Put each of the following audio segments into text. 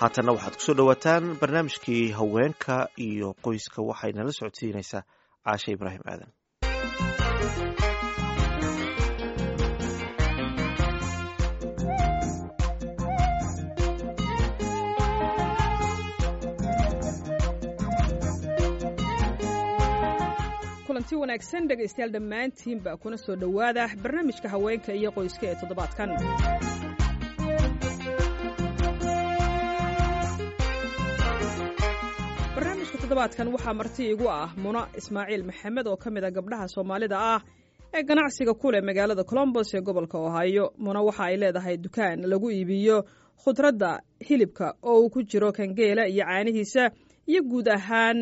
Haatanna waxaad kusoo dhowaataan barnaamijkii haweenka iyo qoyska. Waxayna la socodsiinaysaa Caashe Ibraahim Aadan. Kulanti wanaagsan, dhegaystayaal dhammaantiinba, kuna soo dhowaada barnaamijka haweenka iyo qoyska ee toddobaadkan. Barnaamijka toddobaadkan waxaa marti igu ah Muna Ismaaciil Maxamed oo ka mid a gabdhaha Soomaalida ah ee ganacsiga ku leh magaalada Colombos ee gobolka Ohio. Muna waxa ay leedahay dukaan lagu iibiyo khudradda, hilibka oo uu ku jiro kangeela iyo caanihiisa, iyo guud ahaan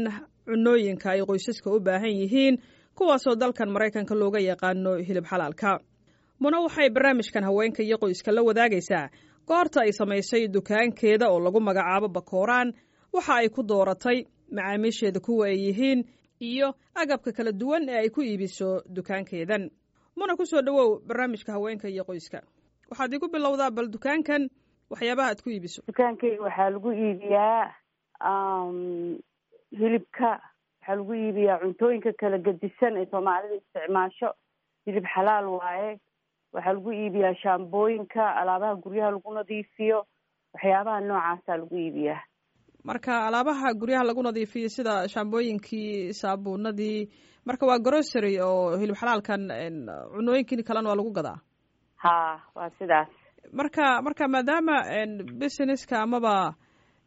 cunooyinka ay qoysaska u baahan yihiin, kuwaasoo dalkan Maraykanka looga yaqaano hilib xalaalka. Muna waxay barnaamijkan haweenka iyo qoyska la wadaagaysaa goorta ay samaysay dukaankeeda oo lagu magacaabo Bakooraan, waxa ay ku dooratay, macaamiisheeda kuwa ay yihiin, iyo agabka kala duwan ee ay ku iibiso dukaankeedan. Muna, ku soo dhowow barnaamijka haweenka iyo qoyska. Waxaad igu bilowdaa bal dukaankan waxyaabaha aad ku iibiso. Dukaankayga waxaa lagu iibiyaa hilibka, waxaa lagu iibiyaa cuntooyinka kala gedisan ee Soomaalida isticmaasho. Hilib xalaal waaye. Waxaa lagu iibiyaa shaambooyinka, alaabaha guryaha lagu nadiifiyo, waxyaabaha noocaasaa lagu iibiyaa. Marka alaabaha guryaha lagu nadiifiyo sida shaambooyinkii, saabuunadii, marka waa grocery oo hilib xalaalkan, cunooyinkin kalena waa lagu gadaa. Ha, waa sidaas. Marka maadaama businesska amaba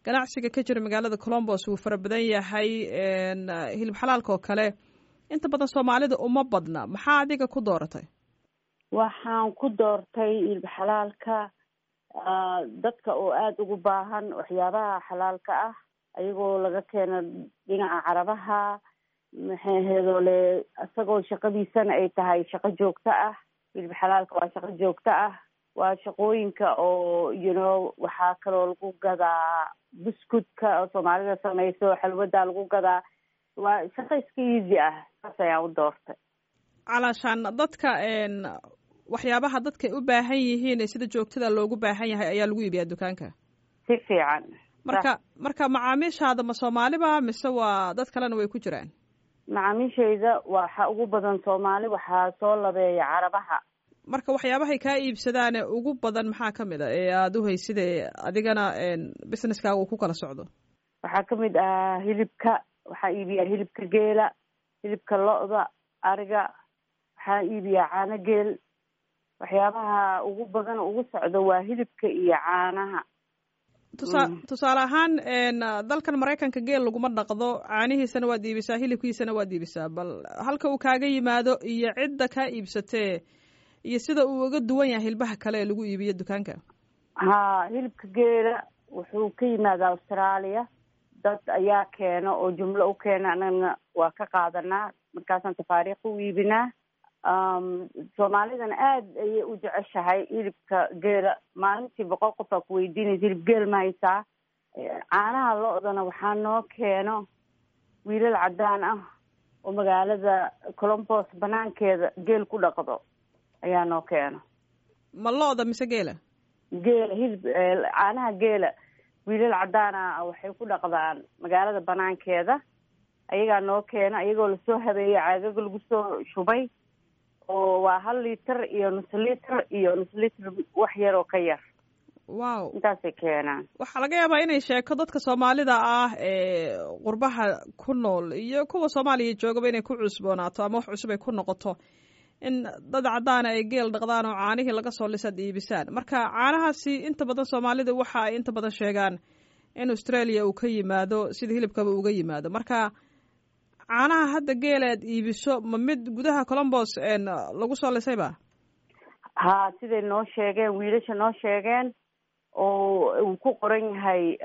ganacsiga ka jira magaalada Colombos wuu fara badan yahay, hilib xalaalka oo kale inta badan Soomaalida uma badna, maxaa adiga ku dooratay? Waxaan ku doortay hilib xalaalka dadka oo aada ugu baahan waxyaabaha xalaalka ah, ayagoo laga keeno dhinaca Carabaha, maxay aheedole, isagoo shaqadiisana ay tahay shaqo joogto ah. Hilib xalaalka waa shaqo joogto ah, waa shaqooyinka oo waxaa kaloo lagu gadaa buskudka oo Soomaalida samayso, xalwadaa lagu gadaa. Waa shaqo iska easy ah, saas ayaan u doortay. Calaashaan dadka waxyaabaha dadka u baahan yihiin ee sida joogtada loogu baahan yahay ayaa lagu iibiyaa dukaanka. Si fiican. Marka macaamiishaada ma Soomaaliba mise waa dad kalena way ku jiraan? Macaamiishayda waxa ugu badan Soomaali, waxaa soo labeeya Carabaha. Marka waxyaabahay kaa iibsadaane ugu badan maxaa ka mid a ee aada u hayside adigana businesskaaga uu ku kala socdo? Waxaa kamid ah hilibka. Waxaa iibiyaa hilibka geela, hilibka lo-da, ariga. Waxaa iibiyaa caano geel. Waxyaabaha ugu badan ugu socdo waa hilibka iyo caanaha. Tusaale ahaan, dalkan Maraykanka geel laguma dhaqdo. Caanihiisana waad iibisaa, hilibkiisana waad iibisaa. Bal halka uu kaaga yimaado iyo cidda kaa iibsatee iyo sida uu uga duwan yahay hilbaha kale ee lagu iibiyo dukaanka. Ha, hilibka geela wuxuu ka yimaadaa Australia. Dad ayaa keena oo jumlo u keena, anagana waa ka qaadanaa, markaasaan tafaariikh u iibinaa. Soomaalidana aada ayay u jeceshahay hilibka geela. Maalintii 100 qof aa ku weydiinaysa, "Hilib geel ma haysaa?" Caanaha lo-dana waxaa noo keeno wiilal caddaan ah oo magaalada Colombos banaankeeda geel ku dhaqdo ayaa noo keeno. Ma lo-da mise geela? Geela. Hilib, caanaha geela wiilal caddaan ah waxay ku dhaqdaan magaalada banaankeeda, ayagaa noo keena, iyagoo lasoo habeeyey, caagaga lagu soo shubay, oo waa hal liiter iyo nus liter iyo nus liter, wax yar oo ka yar. Intaasay keenaan. Waxaa laga yaabaa inay sheeko dadka Soomaalida ah ee qurbaha ku nool iyo kuwa Soomaaliya joogaba inay ku cusboonaato ama wax cusub ay ku noqoto in dad caddaana ay geel dhaqdaan oo caanihii laga soo lisaad iibisaan. Marka caanahaasi inta badan Soomaalida waxa ay inta badan sheegaan in Australia uu ka yimaado, sida hilibkaba uga yimaado. Marka caanaha hadda geel aad iibiso ma mid gudaha Colombos lagu soo lisayba? Ha, siday noo sheegeen wiilasha noo sheegeen oo uu ku qoran yahay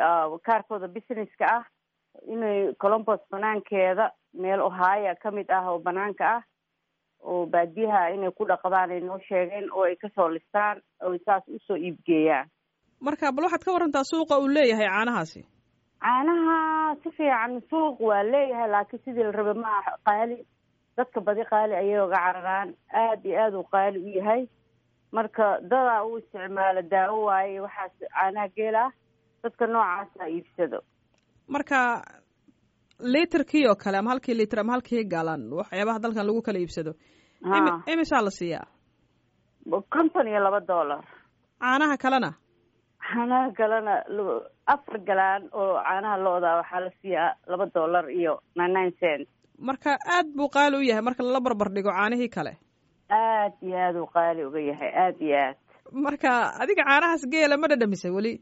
kaarkooda businesska ah, inay Colombos banaankeeda meel Ohio ka mid ah oo banaanka ah oo baadiyaha inay ku dhaqdaan ay noo sheegeen, oo ay kasoo listaan oo saas usoo iibgeeyaan. Marka bal waxaad ka warantaa suuqa uu leeyahay caanahaasi. Caanaha si fiican suuq waa leeyahay, laakiin sidii la raba ma aha. Qaali, dadka badi qaali ayay uga cararaan. Aada iyo aada uu qaali u yahay. Marka dadaa u isticmaalo daawo waaye waxaas caanaha geel ah. Dadka noocaasa iibsado. Marka literkii oo kale ama halkii liter ama halkii galan, waxyaabaha dalkan lagu kala iibsado, imisaa la siiyaa? $52. Caanaha kalena? Caanaha kalena 4 galaan oo caanaha lo-da waxaa la siiyaa $2.99. Marka aad buu qaali u yahay marka lala barbar dhigo caanihii kale. Aad iyo aad uu qaali uga yahay, aad iyo aad. Marka adiga caanahaas geela ma dhadhamisay weli?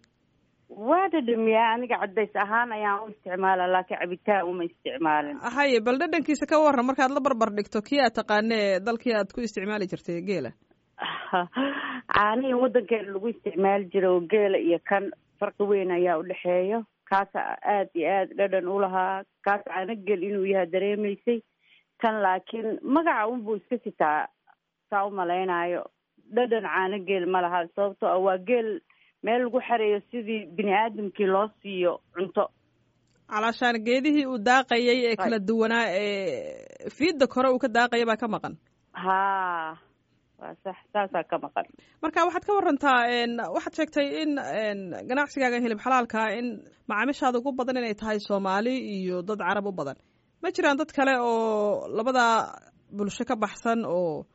Waa dhadhamiyaa, aniga cadays ahaan ayaan u isticmaala, laakiin cabitaan uma isticmaalin. Haye, bal dhadhankiisa ka waran markaad la barbar dhigto kii aad taqaanee dalkii aad ku isticmaali jirtay geela. Caanihii waddankeena lagu isticmaali jira oo geela iyo kan farqi weyn ayaa udhexeeyo. Kaasa aad iyo aad dhadhan ulahaa, kaas caano gel inuu yahay dareemaysay. Kan laakiin magaca unbuu iska sitaa, saa u malaynaayo dhadhan caano geel ma laha, sababtoo ah waa geel meel lagu xareeyo sidii bini aadamkii loo siiyo cunto. Calaashaan geedihii uu daaqayay ee kala duwanaa ee fiidda kore uu ka daaqaya baa ka maqan. Haa, waa sax, saasaa ka maqan. Marka waxaad ka warantaa, waxaad sheegtay in ganacsigaaga hilib xalaalkaa in macaamiishaada ugu badan inay tahay Soomaali iyo dad Carab u badan. Ma jiraan dad kale oo labadaa bulsho ka baxsan oo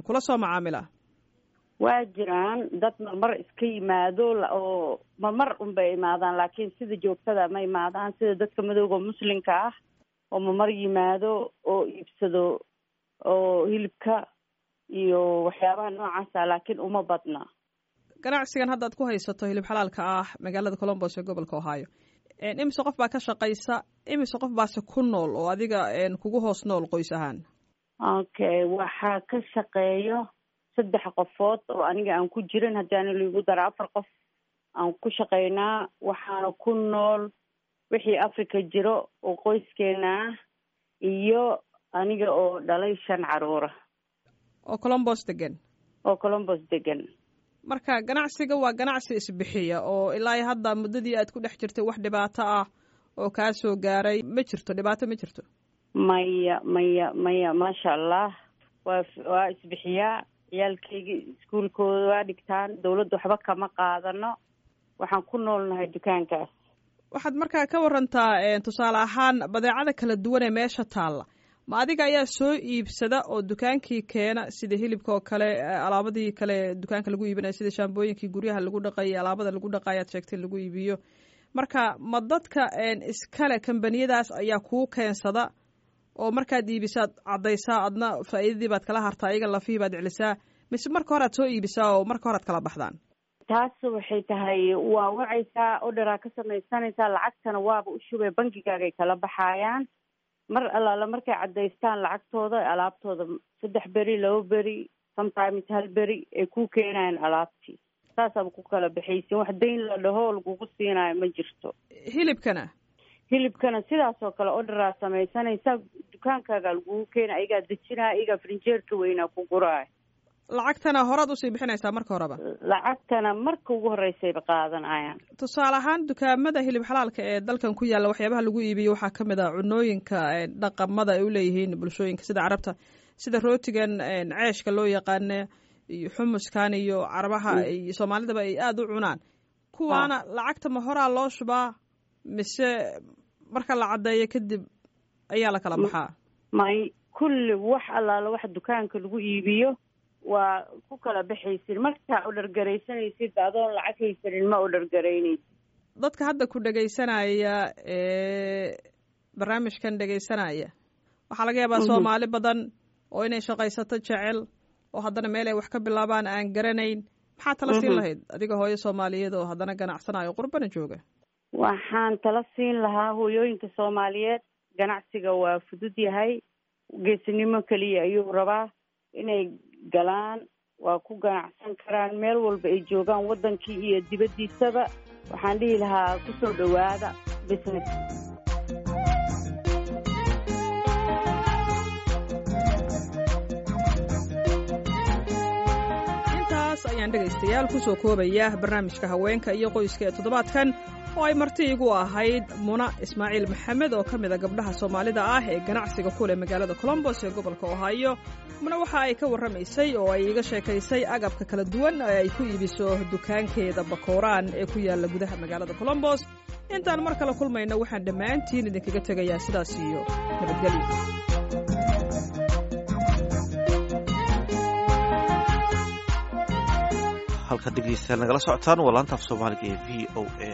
kula soo macaamila? Waa jiraan dad marmar iska yimaado, oo marmar unbay imaadaan, laakiin sida joogtada ma imaadaan, sida dadka madowga muslimka ah oo marmar yimaado oo iibsado oo hilibka iyo waxyaabaha noocaasa, laakiin uma badna. Ganacsigan hadda ad ku haysato hilib xalaalka ah magaalada Colombos ee gobolka Ohio, imise qof baa ka shaqaysa, imise qof baase ku nool oo adiga kugu hoos nool qoys ahaan? Okay, waxaa ka shaqeeyo 3 qofood oo aniga aan ku jirin, haddaana laigu dara 4 qof aan ku shaqaynaa. Waxaana ku nool wixii Africa jiro oo qoyskeena ah iyo aniga oo dhalay 5 caruura. Oo Colombos degan? Oo Colombos degan. Marka ganacsiga waa ganacsi isbixiya oo ilaa hadda muddadii aad ku dhex jirtay wax dhibaato ah oo kaa soo gaaray ma jirto? Dhibaato ma jirto? Maya, maya, maya, maasha Allah, waa isbixiyaa. Ciyaalkayga iskuulkooda waa dhigtaan, dawladda waxba kama qaadano, waxaan ku noolnahay dukaankaas. Waxaad markaa ka warantaa tusaale ahaan badeecada kala duwan ee meesha taalla, ma adiga ayaa soo iibsada oo dukaankii keena, sida hilibka oo kale, alaabadii kale dukaanka lagu iibinayo, sida shaambooyinkii guryaha lagu dhaqayay, alaabada lagu dhaqayo aad sheegtay lagu iibiyo? Marka ma dadka iskale kambaniyadaas ayaa kuu keensada oo markaad iibisaad caddaysaa, adna faa'iidadii baad kala hartaa, iyaga lafihii baad celisaa, mise marka hore aad soo iibisaa oo marka hore aad kala baxdaan? Taas waxay tahay waa wacaysaa, orderaa ka samaysanaysaa, lacagtana waaba u shubay, bankigaagay kala baxaayaan. Mar allaala markay caddaystaan lacagtooda, alaabtooda 3 beri, 2 beri, sometimes 1 beri ay kuu keenayaan alaabtii. Saasaaba ku kala baxaysin, wax dayn la dhaho lagugu siinaayo ma jirto. Hilibkana? Hilibkana sidaas oo kale orderaa samaysanaysaa, dukaankaagaa lagugu keena, ayagaa dejinaya, ayagaa frinjeerka weynaa ku guraaya. Lacagtana horaad usii bixinaysaa marka horeba? Lacagtana marka ugu horreysayba qaadanayaan. Tusaale ahaan dukaamada hilib xalaalka ee dalkan ku yaalla waxyaabaha lagu iibiyo waxaa ka mid ah cunooyinka dhaqamada ay uleeyihiin bulshooyinka sida Carabta, sida rootigan ceeshka loo yaqaana iyo xumuskan iyo Carabaha iyo Soomaalidaba ay aada u cunaan. Kuwaana lacagta ma horaa loo shubaa mise marka la caddeeyo kadib ayaa la kala baxaa? May, kulli wax allaala wax dukaanka lagu iibiyo waa ku kala baxaysid. Markaa odhargaraysanaysid adoon lacag haysanin ma odhargaraynaysid. Dadka hadda ku dhegaysanaya ee barnaamijkan dhegaysanaya waxaa laga yaabaa Soomaali badan oo inay shaqaysato jecel oo haddana meel ay wax ka bilaabaan aan garanayn. Maxaa tala siin lahayd adiga hooyo Soomaaliyeed oo haddana ganacsanayo qurbana jooga? Waxaan tala siin lahaa hooyooyinka Soomaaliyeed, ganacsiga waa fudud yahay, geesinimo keliya ayuu rabaa inay galaan, waa ku ganacsan karaan meel walba ay joogaan, waddankii iyo dibaddiisaba. Waxaan dhihi lahaa kusoo dhowaada business. Intaas ayaan dhegaystayaal kusoo koobaya barnaamijka haweenka iyo qoyska ee toddobaadkan oo ay marti igu ahayd Muna Ismaaciil Maxamed oo ka mid a gabdhaha Soomaalida ah ee ganacsiga ku leh magaalada Colombos ee gobolka Ohio. Muna waxa ay ka warramaysay oo ay iiga sheekaysay agabka kala duwan ee ay ku iibiso dukaankeeda Bakooraan ee ku yaalla gudaha magaalada Colombos. Intaan mar kale kulmayna, waxaan dhammaantiin idinkaga tegayaa sidaas iyo nabadgelyo. Halka dhegeystayaal nagala socotaan waa laanta af Soomaaliga ee VOA.